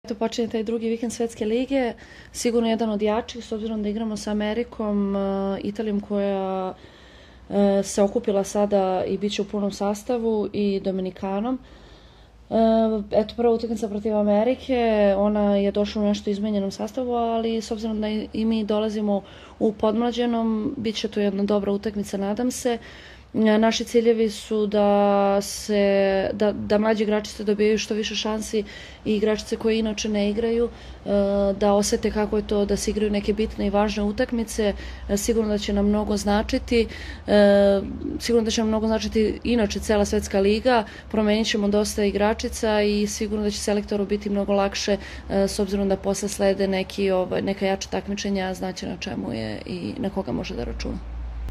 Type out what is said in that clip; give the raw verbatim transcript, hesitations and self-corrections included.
To počinje taj drugi vikend Svetske lige, sigurno jedan od jačih, s obzirom da igramo sa Amerikom, Italijom koja se okupila sada i bit će u punom sastavu, i Dominikanom. Eto, prva utakmica protiv Amerike, ona je došla u nešto izmenjenom sastavu, ali s obzirom da i mi dolazimo u podmlađenom, bit će to jedna dobra utakmica, nadam se. Naši ciljevi su da se da, da mlađi igračice dobijaju što više šansi i igračice koje inače ne igraju, da osete kako je to da se igraju neke bitne i važne utakmice. Sigurno da će nam mnogo značiti, sigurno da će nam mnogo značiti inače cela Svetska liga, promenit ćemo dosta igračica i sigurno da će selektoru biti mnogo lakše, s obzirom da posle slede neki, ovaj, neka jača takmičenja, znaće na čemu je i na koga može da računa.